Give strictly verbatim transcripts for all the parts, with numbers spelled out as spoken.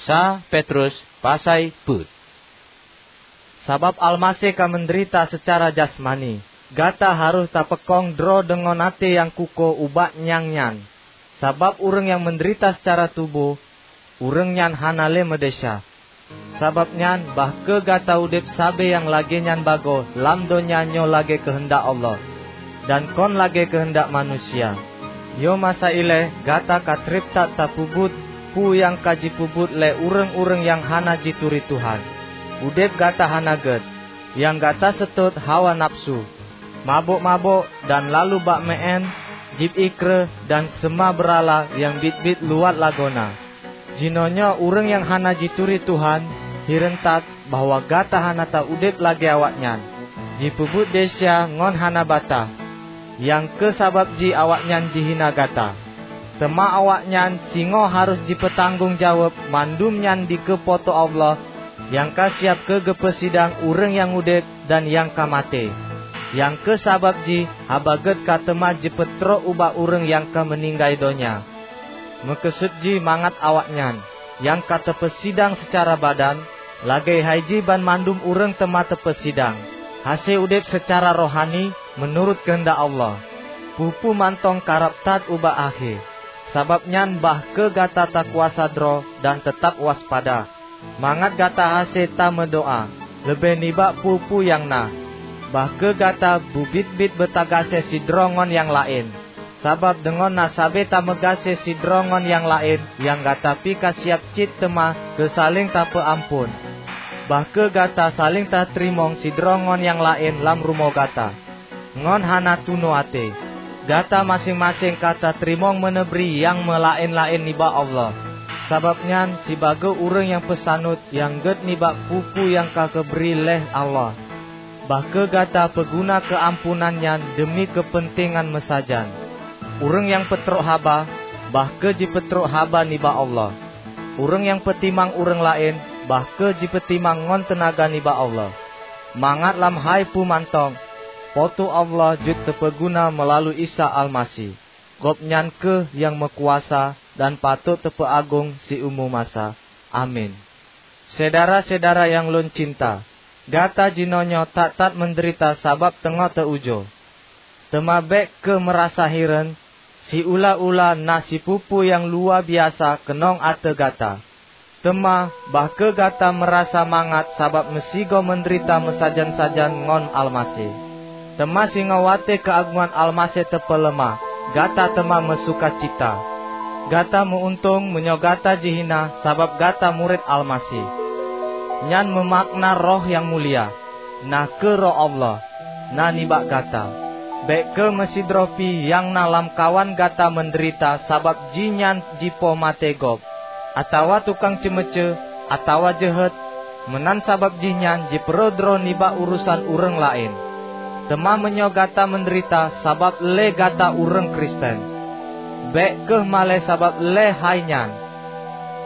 Sa Petrus pasai peuet. Sabab Almaseh ka meundeurita seucara jasmani, gata harôh tapeukong droe deungon até nyang kukoh ubak nyang nyan. Sabab ureuëng nyang meundeurita seucara tuboh, ureuëng nyan hana lé meudesya. Sabab nyan, bah kheueh gata udeb sabe nyang lagée nyan bagoe lam donya nyoe lagée keuheundak Allah, dan kon lagée keuheundak manusia. Nyoe masa ilée gata ka treb that tapeubuet peue nyang ka jipeubuet lé ureuëng-ureuëng nyang hana jituri Tuhan. Udeb gata hana gét, nyang gata seutôt hawa nafeusu, mabök-mabök dan lalu bak meuén, jieb ié kreueh dan seuma beurala nyang biet-biet luwat lagoena. Jinoenyoe ureuëng nyang hana jituri Tuhan hireuen that bahwa gata hana ta-udeb lagée awaknyan, jipeubuet desya ngon hana bataih, nyang kheueh sabab jih awaknyan jihina gata. Teuma awaknyan singoh harôh jipeutanggong jaweueb mandum nyan dikeue Po teu Allah nyang ka siab keu geupeusidang ureuëng nyang udeb dan nyang ka maté. Nyang kheueh sabab jih Haba Gét ka teuma jipeutrok ubak ureuëng nyang ka meuninggai donya. Meukeusut jih mangat awaknyan, nyang ka teupeusidang seucara badan, lagée hai jih banmandum ureuëng teuma teupeusidang, hase udeb seucara rohani meunurot keuheundak Allah. Peue-peue mantong karab that ubak akhé. Sabab nyan bah kheueh gata takuasa droe dan teutab waspada, mangat gata hase tameudoá leubeh nibak peue-peue nyang na. Bah kheueh gata beubiet-biet beutagaséh sidroe ngon nyang laén, sabab deungon na sabe tameugaséh sidroe ngon nyang laén nyang gata pih ka siab cit teuma keu saléng tapeuamphon. Bah kheueh gata saléng tateurimong sidroe ngon nyang laén lam rumoh gata, ngon hana tunoe até. Gata maséng-maséng ka tateurimong meuneubri nyang meulaén-laén nibak Allah. Sabab nyan, sibagoe ureuëng nyang peusaneut nyang gét nibak peue-peue nyang ka geubri lé Allah, bah kheueh gata peuguna keuampunan nyan deumi keupeuntengan meusajan. Ureuëng nyang peutrok haba, bah kheueh jipeutrok haba nibak Allah. Ureuëng nyang peutimang ureuëng laén, bah kheueh jipeutimang ngon teunaga nibak Allah, mangat lam hai peue mantong, Po teu Allah jeuet teupeuguna meulalu Isa Almaseh. Gobnyan kheueh nyang meukuasa dan patot teupeuagong siumu masa. Amin. Syedara-syedara nyang lôn cinta, gata jinoenyoe that-that meudeurita sabab teungoh teu-ujoe. Teuma bék kheueh meurasa hireuen, siula-ula na sipeue-peue nyang luwa biasa keunong ateueh gata. Teuma, bah kheueh gata meurasa mangat sabab meusigoe meudeurita meusajan-sajan ngon Almaseh. Teuma singoh watée keuagongan Almaseh teupeuleumah, gata teuma meusukacita. Gata meu-untông meunyoe gata jihina sabab gata murit Almaseh. Nyan meumakna roh nyang mulia, na kheueh Roh Allah, na nibak gata. Bék kheueh meusidroe pih nyang na lamkawan gata meudeurita sabab jihnyan jipoh maté gob, atawa tukang ceumeucue, atawa jeuhet, meunan sabab jihnyan jipeurhot droe nibak urosan ureuëng laén. Teuma meunyoe gata meudeurita sabab lé gata ureuëng Kristen, bék kheueh malée sabab lé hai nyan.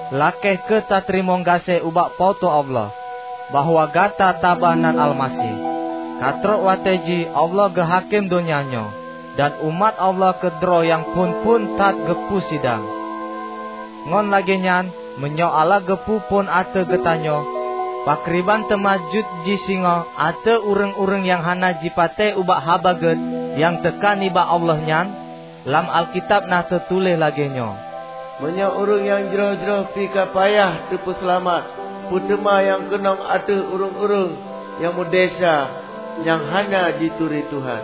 Lakée kheueh tateurimong gaséh ubak Po teu Allah, bahwa gata taba nan Almaseh. Ka trok watée jih Allah geuhakém donya nyoe, dan umat Allah keudroe nyang phon-phon that geupeusidang. Ngon lagée nyan, meunyoe Allah geupeu phon ateueh geutanyoe, pakriban teuma jeuet jih singoh ateueh ureuëng-ureuëng nyang hana jipatéh ubak Haba Gét nyang teuka nibak Allah nyan? Lam Alkitab na teutuléh lagée nyoe, "Meunyoe ureuëng nyang jroh-jroh pih ka payah teupeuseulamat, peue teuma nyang keunong ateueh ureuëng-ureuëng nyang meudesya nyang hana jituri Tuhan?"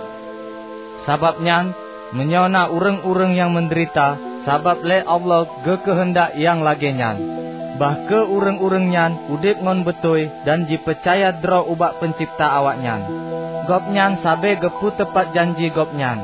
Sabab nyan, meunyoe na ureuëng-ureuëng nyang meudeurita sabab lé Allah geukeuheundak nyang lagée nyan, bah kheueh ureuëng-ureuëng nyan udeb ngon beutôi dan jipeucaya droe ubak Peuncebta awaknyan. Gobnyan sabe geupeuteupat janji Gobnyan.